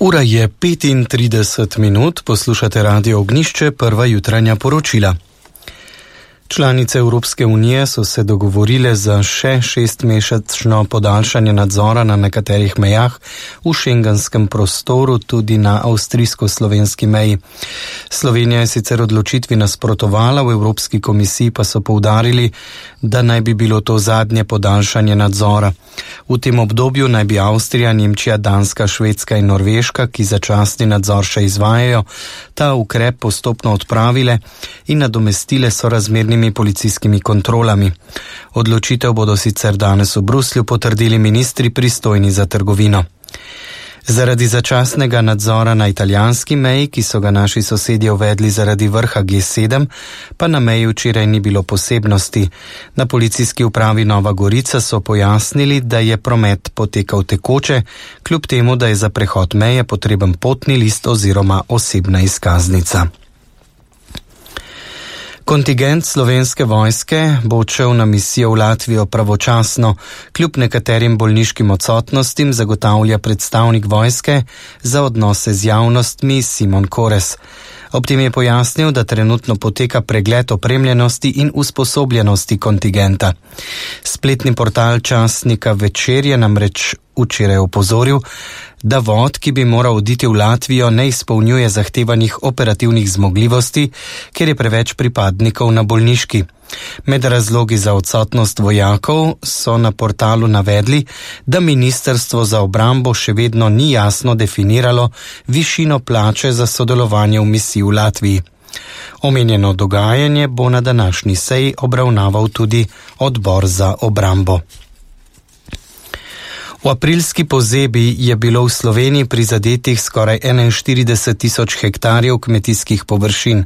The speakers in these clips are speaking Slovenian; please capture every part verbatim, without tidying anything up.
Ura je petintrideset minut, poslušate Radio Ognjišče, prva jutranja poročila. Članice Evropske unije so se dogovorile za še šestmesečno podaljšanje nadzora na nekaterih mejah v šengenskem prostoru, tudi na avstrijsko-slovenski meji. Slovenija je sicer odločitvi nasprotovala, v Evropski komisiji pa so poudarili, da naj bi bilo to zadnje podaljšanje nadzora. V tem obdobju naj bi Avstrija, Nemčija, Danska, Švedska in Norveška, ki začasni nadzor še izvajajo, ta ukrep postopno odpravile in nadomestile sorazmernimi policijskimi kontrolami. Odločitev bodo sicer danes v Bruslju potrdili ministri pristojni za trgovino. Zaradi začasnega nadzora na italijanski meji, ki so ga naši sosedje uvedli zaradi vrha G sedem, pa na meji včeraj ni bilo posebnosti. Na policijski upravi Nova Gorica so pojasnili, da je promet potekal tekoče, kljub temu, da je za prehod meje potreben potni list oziroma osebna izkaznica. Kontingent Slovenske vojske bo odšel na misijo v Latvijo pravočasno. Kljub nekaterim bolniškim odsotnostim zagotavlja predstavnik vojske za odnose z javnostmi Simon Kores. Ob tem je pojasnil, da trenutno poteka pregled opremljenosti in usposobljenosti kontingenta. Spletni portal časnika Večer je namreč včeraj opozoril, da vod, ki bi moral oditi v Latvijo, ne izpolnjuje zahtevanih operativnih zmogljivosti, ker je preveč pripadnikov na bolniški. Med razlogi za odsotnost vojakov so na portalu navedli, da Ministrstvo za obrambo še vedno ni jasno definiralo višino plače za sodelovanje v misiji v Latviji. Omenjeno dogajanje bo na današnji seji obravnaval tudi odbor za obrambo. V aprilski pozebi je bilo v Sloveniji prizadetih skoraj enainštirideset tisoč hektarjev kmetijskih površin.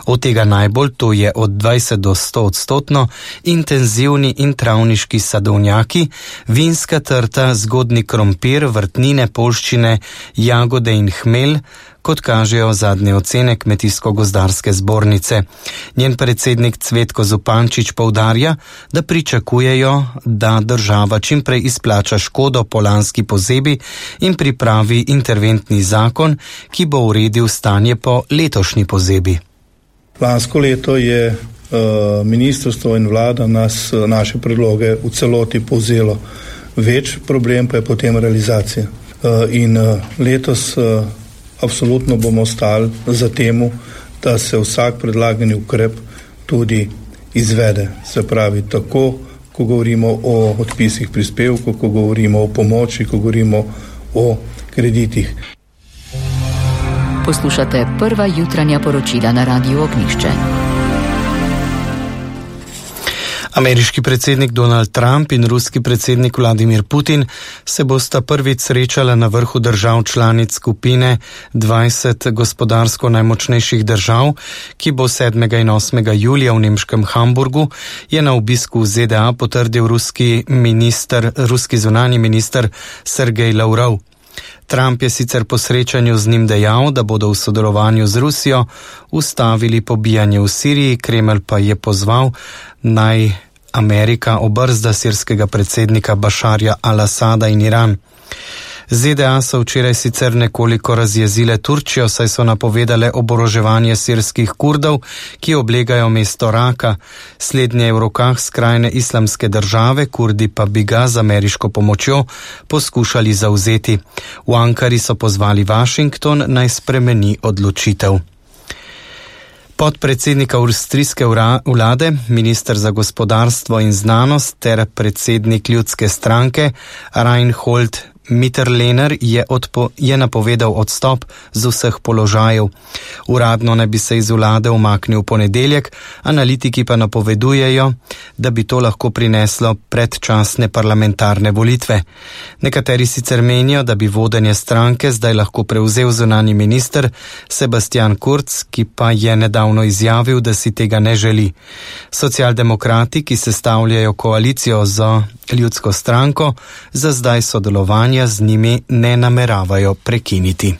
Od tega najbolj, to je od dvajset do sto odstotno, intenzivni in travniški sadovnjaki, vinska trta, zgodnji krompir, vrtnine, poljščine, jagode in hmelj, kot kažejo zadnje ocene Kmetijsko-gozdarske zbornice. Njen predsednik Cvetko Zupančič poudarja, da pričakujejo, da država čimprej izplača škodo po lanski pozebi in pripravi interventni zakon, ki bo uredil stanje po letošnji pozebi. Lansko leto je uh, ministrstvo in vlada nas, naše predloge v celoti povzelo. Več problem pa je potem realizacija. Uh, in uh, letos uh, Absolutno bomo ostali za temu, da se vsak predlagani ukrep tudi izvede. Se pravi, tako, ko govorimo o odpisih prispevkov, ko govorimo o pomoči, ko govorimo o kreditih. Poslušate prva jutranja poročila na Radiu Ognjišče. Ameriški predsednik Donald Trump in ruski predsednik Vladimir Putin se bosta prvič srečala na vrhu držav članic skupine dvajset gospodarsko najmočnejših držav, ki bo sedmega in osmega julija v nemškem Hamburgu, je na obisku v Z D A potrdil ruski minister, ruski zunanji minister Sergej Lavrov. Trump je sicer po srečanju z njim dejal, da bodo v sodelovanju z Rusijo ustavili pobijanje v Siriji, Kremelj pa je pozval, naj Amerika obrzda sirskega predsednika Bašarja al-Asada in Iran. Z D A so včeraj sicer nekoliko razjezile Turčijo, saj so napovedale oboroževanje sirskih Kurdov, ki oblegajo mesto Raka. Slednje je v rokah skrajne islamske države, Kurdi pa bi ga z ameriško pomočjo poskušali zavzeti. V Ankari so pozvali Washington, naj spremeni odločitev. Podpredsednika avstrijske vlade, minister za gospodarstvo in znanost ter predsednik ljudske stranke Reinhold Mitterlehner je, odpo, je napovedal odstop z vseh položajev. Uradno naj bi se iz vlade umaknil v ponedeljek, analitiki pa napovedujejo, da bi to lahko prineslo predčasne parlamentarne volitve. Nekateri sicer menijo, da bi vodenje stranke zdaj lahko prevzel zunanji minister Sebastian Kurz, ki pa je nedavno izjavil, da si tega ne želi. Socialdemokrati, ki sestavljajo koalicijo z ljudsko stranko, za zdaj sodelovanje z njimi ne nameravajo prekiniti.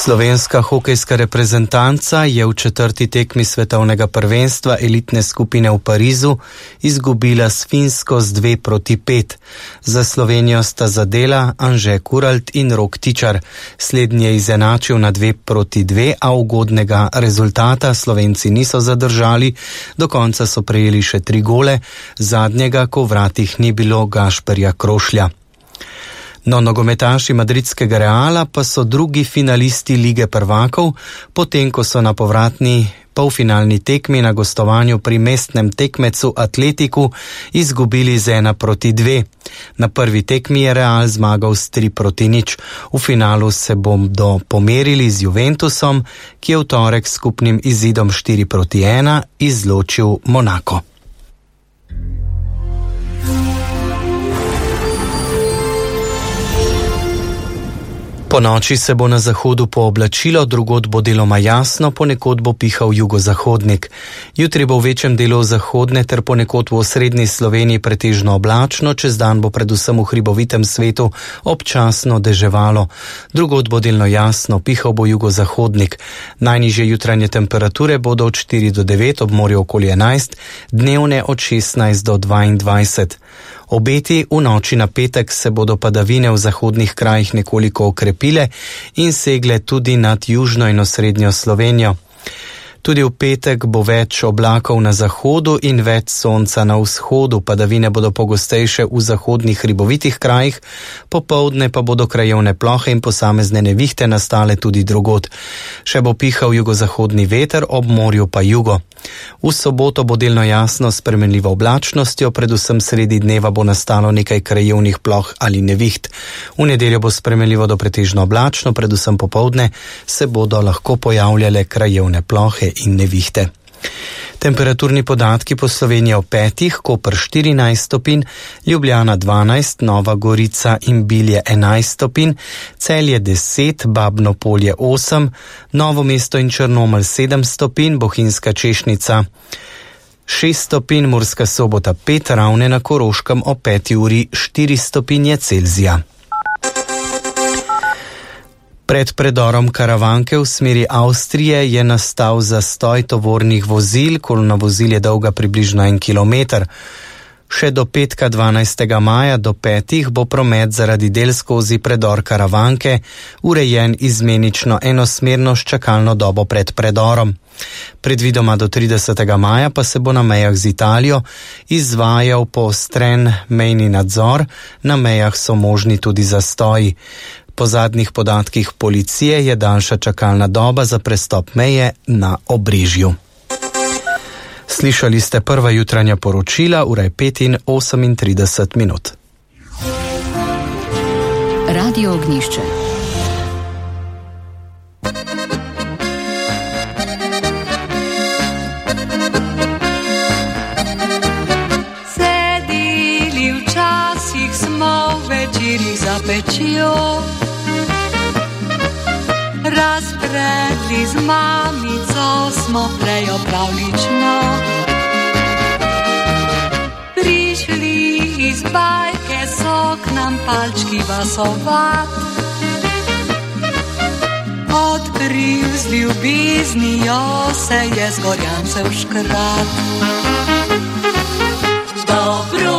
Slovenska hokejska reprezentanca je v četrti tekmi svetovnega prvenstva elitne skupine v Parizu izgubila s Finsko z dve proti pet. Za Slovenijo sta zadela Anže Kuralt in Rok Tičar. Slednji je izenačil na dve proti dve, a ugodnega rezultata Slovenci niso zadržali. Do konca so prejeli še tri gole, zadnjega, ko v vratih ni bilo Gašperja Krošlja. No, nogometaši madridskega Reala pa so drugi finalisti Lige prvakov, potem ko so na povratni polfinalni tekmi na gostovanju pri mestnem tekmecu Atletiku izgubili z ena proti dve. Na prvi tekmi je Real zmagal s tri proti nič. V finalu se bodo pomerili z Juventusom, ki je v torek skupnim izidom štiri proti ena izločil Monako. Po noči se bo na zahodu pooblačilo, drugod bo deloma jasno, ponekod bo pihal jugozahodnik. Jutri bo v večjem delu zahodne ter ponekod v osrednji Sloveniji pretežno oblačno, čez dan bo predvsem v hribovitem svetu občasno deževalo. Drugod bo delno jasno, pihal bo jugozahodnik. Najnižje jutranje temperature bodo od štiri do devet, ob morju okoli enajst, dnevne od šestnajst do dvaindvajset. Obeti v noči na petek se bodo padavine v zahodnih krajih nekoliko okrepile in segle tudi nad južno in osrednjo Slovenijo. Tudi v petek bo več oblakov na zahodu in več sonca na vzhodu. Padavine bodo pogostejše v zahodnih hribovitih krajih, popoldne pa bodo krajevne plohe in posamezne nevihte nastale tudi drugod. Še bo pihal jugozahodni veter, ob morju pa jugo. V soboto bo delno jasno s spremenljivo oblačnostjo, predvsem sredi dneva bo nastalo nekaj krajevnih ploh ali neviht. V nedeljo bo spremenljivo do pretežno oblačno, predvsem popoldne se bodo lahko pojavljale krajevne plohe in nevihte. Temperaturni podatki po Sloveniji ob petih, Koper štirinajst stopinj, Ljubljana dvanajst, Nova Gorica in Bilje enajst stopinj, Celje deset, Babno Polje osem, Novo mesto in Črnomelj sedem stopinj, Bohinjska Češnica šest stopinj, Murska Sobota pet, Ravne na Koroškem ob peti uri štiri stopinje Celzija. Pred predorom Karavanke v smeri Avstrije je nastal zastoj tovornih vozil, kolona vozil je dolga približno en kilometer. Še do petka dvanajstega maja do petih bo promet zaradi del skozi predor Karavanke urejen izmenično enosmerno s čakalno dobo pred predorom. Predvidoma do tridesetega maja pa se bo na mejah z Italijo izvajal poostren mejni nadzor, na mejah so možni tudi zastoji. Po zadnjih podatkih policije je daljša čakalna doba za prestop meje na Obrežju. Slišali ste prva jutranja poročila, ura je pet in osemintrideset minut. Radio Ognjišče. Sedili včasih smo večerih za pečjo, razpredli z mamico smo prejo pravlično. Prišli iz bajke so k nam palčki vasovat, odkril z ljubiznijo se je z gorjancev škrat. Dobro